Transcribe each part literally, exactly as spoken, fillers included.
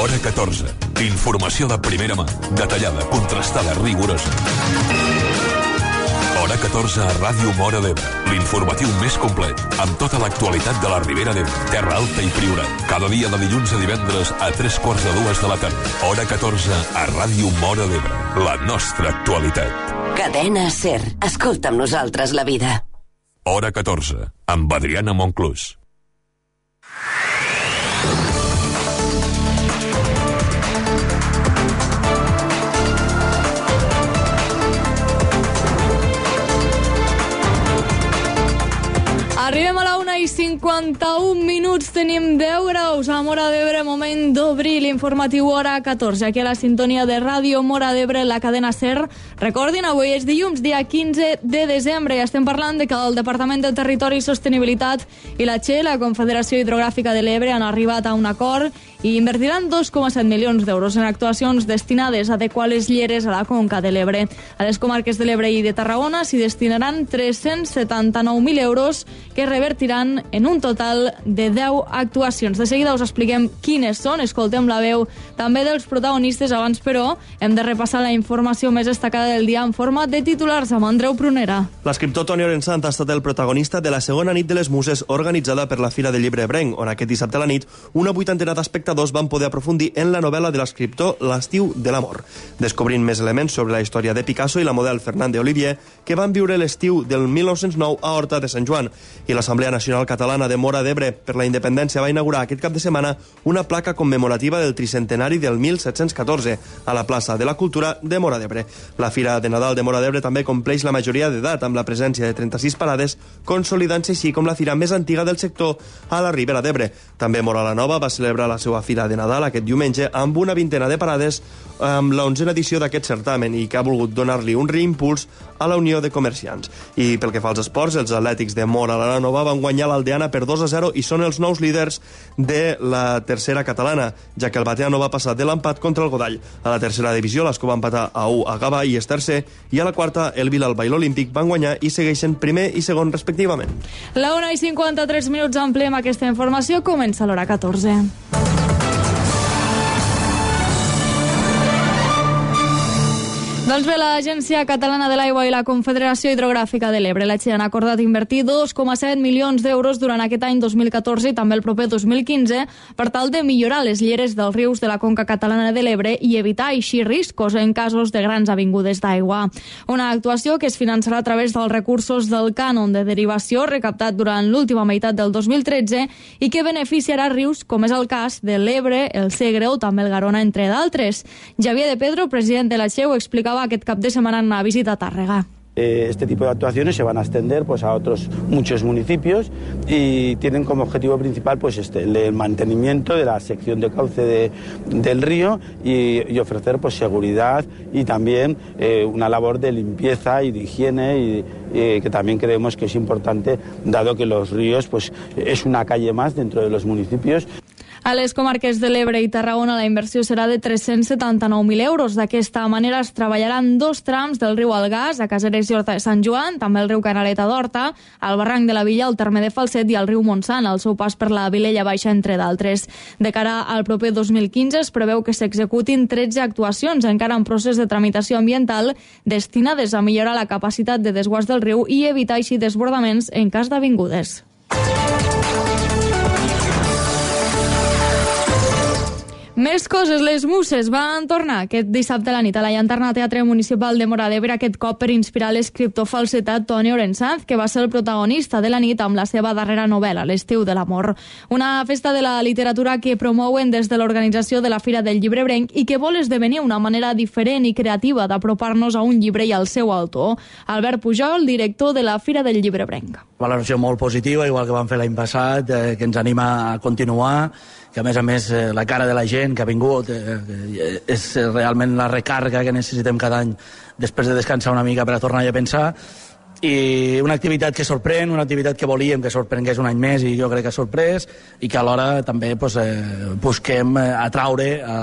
Hora catorze. Informació de primera mà, detallada, contrastada, rigorosa. Hora catorze a Ràdio Móra d'Ebre. L'informatiu més complet, amb tota l'actualitat de la Ribera d'Ebre, Terra Alta i Priorat. Cada dia de dilluns a divendres a tres quarts de dues de la tarda. Hora catorze a Ràdio Móra d'Ebre. La nostra actualitat. Cadena SER. Escolta amb nosaltres la vida. Hora catorze, amb Adriana Monclús. Arribem a la una i cinquanta-un minuts, tenim deu graus a Móra d'Ebre, moment d'obrir l'informatiu Hora catorze, aquí a la sintonia de Ràdio Móra d'Ebre, la cadena SER. Recordin, avui és dilluns, dia quinze de desembre, i estem parlant de que el Departament de Territori i Sostenibilitat i la Che, la Confederació Hidrogràfica de l'Ebre, han arribat a un acord i invertiran dos coma set milions d'euros en actuacions destinades a adequar les lleres a la conca de l'Ebre. A les comarques de l'Ebre i de Tarragona s'hi destinaran tres-cents setanta-nou mil euros que revertiran en un total de deu actuacions. De seguida us expliquem quines són, escoltem la veu també dels protagonistes. Abans, però, hem de repassar la informació més destacada del dia en forma de titulars amb Andreu Prunera. L'escriptor Toni Orensant ha estat el protagonista de la segona nit de les Muses organitzada per la Fira del Llibre Ebrenc, on aquest dissabte a la nit una vuitantena d'espectadors van poder aprofundir en la novel·la de l'escriptor L'estiu de l'amor, descobrint més elements sobre la història de Picasso i la model Fernande Olivier, que van viure l'estiu del mil nou-cents nou a Horta de Sant Joan. I l'Assemblea Nacional Catalana de Móra d'Ebre per la Independència va inaugurar aquest cap de setmana una placa commemorativa del tricentenari del mil set-cents catorze a la plaça de la Cultura de Móra d'Ebre. La Fira de Nadal de Móra d'Ebre també compleix la majoria d'edat, amb la presència de trenta-sis parades, consolidant-se així com la fira més antiga del sector a la Ribera d'Ebre. També Móra la Nova va celebrar la seva Fira de Nadal aquest diumenge amb una vintena de parades amb l'onzena edició d'aquest certamen i que ha volgut donar-li un reimpuls a la Unió de Comerciants. I pel que fa als esports, els atlètics de Móra la Nova van guanyar l'Aldeana per dos a zero i són els nous líders de la tercera catalana, ja que el Bateano va passar de l'empat contra el Godall. A la tercera divisió, l'Escó va empatar a u a Gavà i és tercer, i a la quarta, el Vilalba i l'Olímpic van guanyar i segueixen primer i segon respectivament. La una i cinquanta-tres minuts ampliem aquesta informació. Comença l'hora catorze. Doncs bé, l'Agència Catalana de l'Aigua i la Confederació Hidrogràfica de l'Ebre, la Che, han acordat invertir dos coma set milions d'euros durant aquest any dos mil catorze i també el proper dos mil quinze per tal de millorar les lleres dels rius de la conca catalana de l'Ebre i evitar així riscos en casos de grans avingudes d'aigua. Una actuació que es finançarà a través dels recursos del cànon de derivació recaptat durant l'última meitat del dos mil tretze i que beneficiarà rius com és el cas de l'Ebre, el Segre o també el Garona, entre d'altres. Javier de Pedro, president de la Che, ho explicava aquest cap de setmana en una visita a Tàrrega. Este tipo de actuaciones se van a extender pues, a otros muchos municipios y tienen como objetivo principal pues, este, el mantenimiento de la sección de cauce de, del río y, y ofrecer pues, seguridad y también eh, una labor de limpieza y de higiene y, eh, que también creemos que es importante dado que los ríos pues, es una calle más dentro de los municipios. A les comarques de l'Ebre i Tarragona la inversió serà de tres-cents setanta-nou mil euros. D'aquesta manera es treballaran dos trams del riu Algàs, a Caseres i Horta de Sant Joan, també el riu Canaleta d'Horta, al barranc de la Villa, al terme de Falset i al riu Montsant, al seu pas per la Vilella Baixa, entre d'altres. De cara al proper dos mil quinze es preveu que s'executin tretze actuacions, encara en procés de tramitació ambiental, destinades a millorar la capacitat de desguàs del riu i evitar així desbordaments en cas d'avingudes. Més coses, les Muses van tornar aquest dissabte a la nit a la Llanterna Teatre Municipal de Móra d'Ebre, aquest cop per inspirar l'escriptor falsetat Toni Orensant, que va ser el protagonista de la nit amb la seva darrera novel·la, L'estiu de l'amor. Una festa de la literatura que promouen des de l'organització de la Fira del Llibre Ebrenc i que vol esdevenir una manera diferent i creativa d'apropar-nos a un llibre i al seu autor. Albert Pujol, director de la Fira del Llibre Ebrenc. Valoració molt positiva, igual que vam fer l'any passat, eh, que ens anima a continuar, que a més a més eh, la cara de la gent que ha vingut eh, és realment la recàrrega que necessitem cada any després de descansar una mica per a tornar a pensar, i una activitat que sorprèn, una activitat que volíem que sorprengués un any més i jo crec que ha sorprès, i que alhora també pues, eh, busquem atraure a,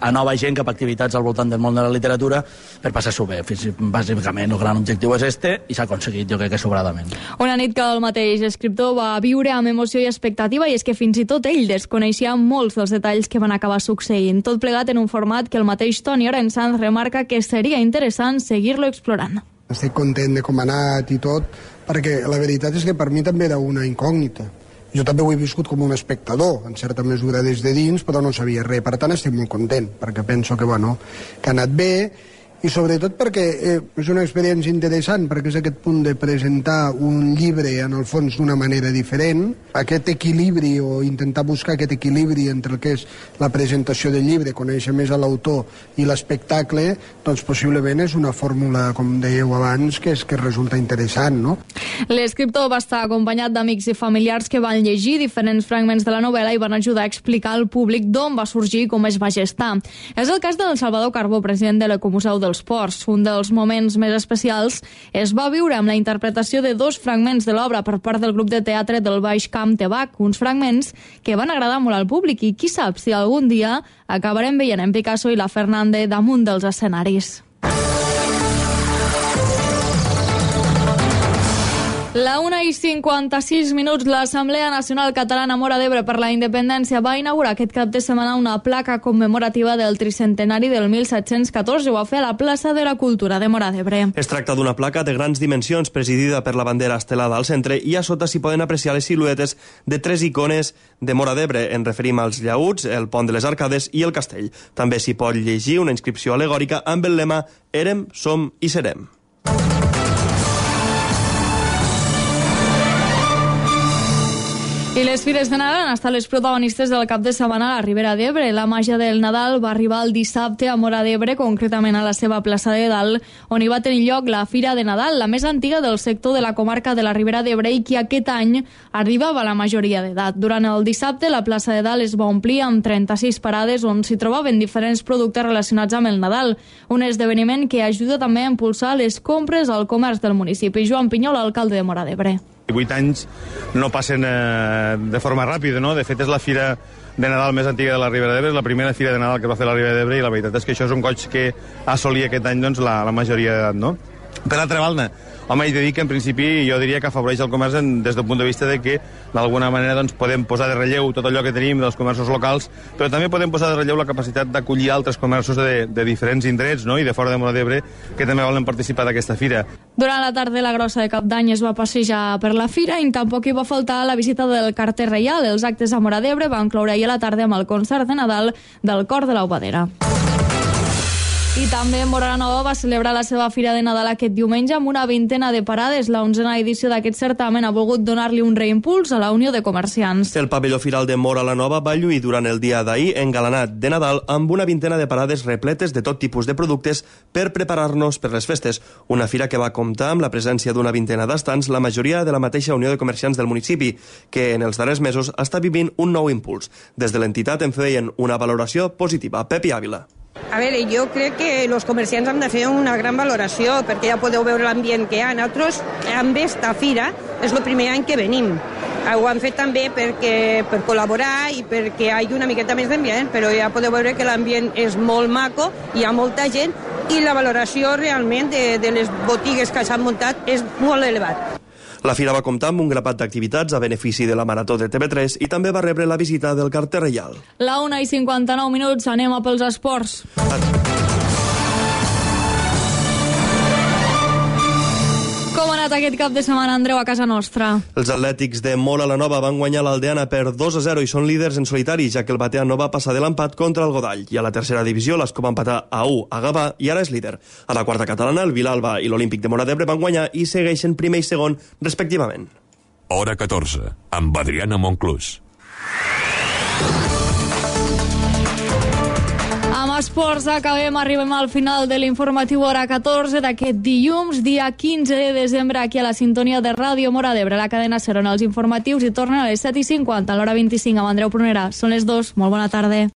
a nova gent cap a activitats al voltant del món de la literatura per passar-s'ho bé. Bàsicament el gran objectiu és este i s'ha aconseguit, jo crec que sobradament. Una nit que el mateix escriptor va viure amb emoció i expectativa, i és que fins i tot ell desconeixia molts dels detalls que van acabar succeint. Tot plegat en un format que el mateix Toni Orensanz remarca que seria interessant seguir-lo explorant. Estic content de com ha anat i tot, perquè la veritat és que per mi també era una incògnita. Jo també ho he viscut com un espectador, en certa mesura des de dins, però no sabia res. Per tant, estic molt content, perquè penso que, bueno, que ha anat bé, i sobretot perquè eh, és una experiència interessant, perquè és aquest punt de presentar un llibre en el fons d'una manera diferent, aquest equilibri o intentar buscar aquest equilibri entre el que és la presentació del llibre, conèixer més a l'autor i l'espectacle, doncs possiblement és una fórmula, com dèieu abans, que, és, que resulta interessant, no? L'escriptor va estar acompanyat d'amics i familiars que van llegir diferents fragments de la novel·la i van ajudar a explicar al públic d'on va sorgir i com es va gestar. És el cas del Salvador Carbó, president de l'Ecomuseu dels Ports. Un dels moments més especials es va viure amb la interpretació de dos fragments de l'obra per part del grup de teatre del Baix Camp Tebac, uns fragments que van agradar molt al públic i qui sap si algun dia acabarem veient en Picasso i la Fernande damunt dels escenaris. La una i cinquanta-sis minuts, l'Assemblea Nacional Catalana Móra d'Ebre per la Independència va inaugurar aquest cap de setmana una placa commemorativa del tricentenari del mil set-cents catorze. Ho va fer a la plaça de la Cultura de Móra d'Ebre. Es tracta d'una placa de grans dimensions presidida per la bandera estelada al centre i a sota s'hi poden apreciar les siluetes de tres icones de Móra d'Ebre. En referim als llaüts, el pont de les Arcades i el castell. També s'hi pot llegir una inscripció alegòrica amb el lema Érem, som i serem. I les fires de Nadal han estat les protagonistes del cap de setmana a la Ribera d'Ebre. La màgia del Nadal va arribar el dissabte a Móra d'Ebre, concretament a la seva plaça de Dalt, on hi va tenir lloc la Fira de Nadal, la més antiga del sector de la comarca de la Ribera d'Ebre i que aquest any arribava a la majoria d'edat. Durant el dissabte, la plaça de Dalt es va omplir amb trenta-sis parades on s'hi trobaven diferents productes relacionats amb el Nadal, un esdeveniment que ajuda també a impulsar les compres al comerç del municipi. Joan Pinyol, alcalde de Móra d'Ebre. Vuit anys no passen eh, de forma ràpida, no? De fet, és la fira de Nadal més antiga de la Ribera d'Ebre, és la primera fira de Nadal que va fer la Ribera d'Ebre i la veritat és que això és un goig que assolia aquest any doncs, la, la majoria d'edat, no? Per altra banda, home, he de dir que en principi jo diria que afavoreix el comerç en, des del punt de vista de que d'alguna manera doncs, podem posar de relleu tot allò que tenim dels comerços locals, però també podem posar de relleu la capacitat d'acollir altres comerços de, de diferents indrets, no? I de fora de Móra d'Ebre que també volen participar d'aquesta fira. Durant la tarda la grossa de Cap d'Any es va passejar per la fira i tampoc hi va faltar la visita del carter reial. Els actes a Móra d'Ebre van cloure ahir a la tarda amb el concert de Nadal del Cor de l'Aubadera. I també Móra la Nova va celebrar la seva Fira de Nadal aquest diumenge amb una vintena de parades. La onzena edició d'aquest certamen ha volgut donar-li un reimpuls a la Unió de Comerciants. El pavelló firal de Móra la Nova va lluir durant el dia d'ahir engalanat de Nadal amb una vintena de parades repletes de tot tipus de productes per preparar-nos per les festes. Una fira que va comptar amb la presència d'una vintena d'estants, la majoria de la mateixa Unió de Comerciants del municipi, que en els darrers mesos està vivint un nou impuls. Des de l'entitat en feien una valoració positiva. Pepi Ávila. A veure, jo crec que els comerciants han de fer una gran valoració perquè ja podeu veure l'ambient que hi ha. Nosaltres, amb esta fira, és el primer any que venim. Ho han fet també perquè, per col·laborar i perquè hi hagi una miqueta més d'ambient, però ja podeu veure que l'ambient és molt maco, hi ha molta gent i la valoració realment de, de les botigues que s'han muntat és molt elevat. La fira va comptar amb un grapat d'activitats a benefici de la Marató de T V tres i també va rebre la visita del carter reial. La una i cinquanta-nou minuts, anem a pels esports. Com ha anat aquest cap de setmana, Andreu, a casa nostra? Els atlètics de Móra la Nova van guanyar l'Aldeana per dos a zero i són líders en solitari, ja que el Batea no va passar de l'empat contra el Godall. I a la tercera divisió l'Escó va empatar a u a Gavà i ara és líder. A la quarta catalana, el Vilalba i l'Olímpic de Móra d'Ebre van guanyar i segueixen primer i segon, respectivament. Hora catorze, amb Adriana Monclús. Amb esports acabem, arribem al final de l'informatiu Hora catorze d'aquest dilluns, dia quinze de desembre, aquí a la sintonia de Ràdio Móra d'Ebre. La cadena SER, on els informatius i tornen a les set i cinquanta, a l'hora vint-i-cinc amb Andreu Prunera. Són les dues, molt bona tarda.